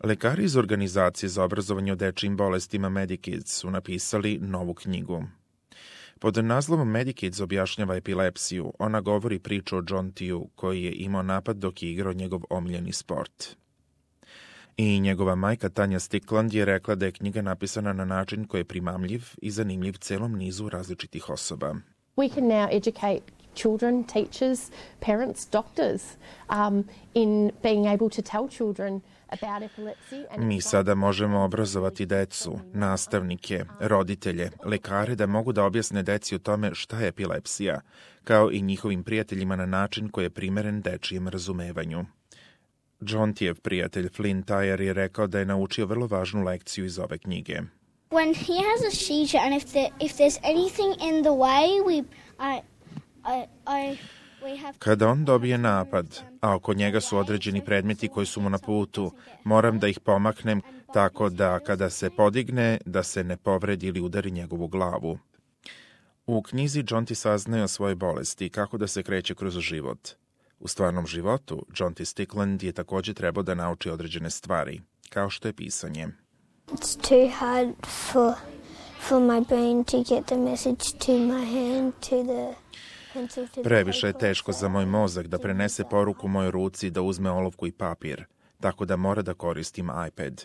Lekari iz Organizacije za obrazovanje o dečijim bolestima Medikids su napisali novu knjigu. Pod naslovom Medikids objašnjava epilepsiju. Ona govori priču o John Tiju, koji je imao napad dok je igrao njegov omiljeni sport. I njegova majka Tanja Stickland je rekla da je knjiga napisana na način koji je primamljiv i zanimljiv celom nizu različitih osoba. We can now educate children, teachers, parents, doctors in being able to tell children about epilepsy. Mi sada možemo obrazovati decu, nastavnike, roditelje, lekare da mogu da objasne deci o tome šta je epilepsija, kao i njihovim prijateljima na način koji je primeren dečijem razumevanju. John Tijev prijatelj Flynn Tyre je rekao da je naučio vrlo važnu lekciju iz ove knjige. When he has a seizure and if there's anything in the way, Kada on dobije napad, a oko njega su određeni predmeti koji su mu na putu, moram da ih pomaknem tako da kada se podigne, da se ne povredi ili udari njegovu glavu. U knjizi John T. saznaje o svojoj bolesti i kako da se kreće kroz život. U stvarnom životu, John T. Stickland je također trebao da nauči određene stvari, kao što je pisanje. It's too hard for my brain to get the message to my hand, to the... Previše je teško za moj mozak da prenese poruku mojoj ruci da uzme olovku i papir, tako da mora da koristim iPad.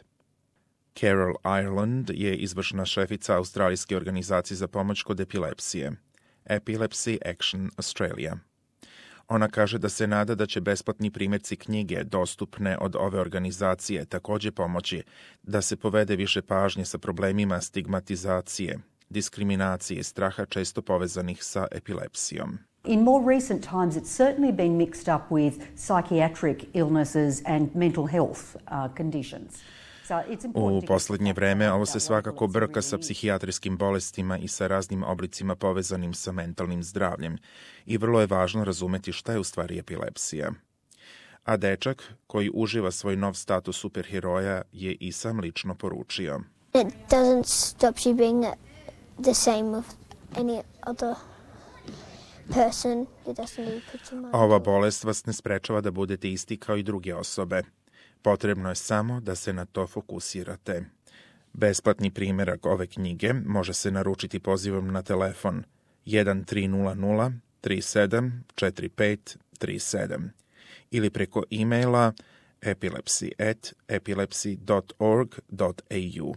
Carol Ireland je izvršna šefica Australijske organizacije za pomoć kod epilepsije, Epilepsy Action Australia. Ona kaže da se nada da će besplatni primjerci knjige dostupne od ove organizacije također pomoći da se povede više pažnje sa problemima stigmatizacije, diskriminacije i straha često povezanih sa epilepsijom. In more recent times, it's certainly been mixed up with psychiatric illnesses and mental health conditions. U posljednje vreme ovo se svakako brka sa psihijatrijskim bolestima i sa raznim oblicima povezanim sa mentalnim zdravljem i vrlo je važno razumeti šta je u stvari epilepsija. A dečak, koji uživa svoj nov status superheroja, je i sam lično poručio. It doesn't stop you being the same of any other person. It doesn't really put your mind. Ova bolest vas ne sprečava da budete isti kao i druge osobe. Potrebno je samo da se na to fokusirate. Besplatni primjerak ove knjige može se naručiti pozivom na telefon 1300 374537 ili preko e-maila epilepsy@epilepsy.org.au.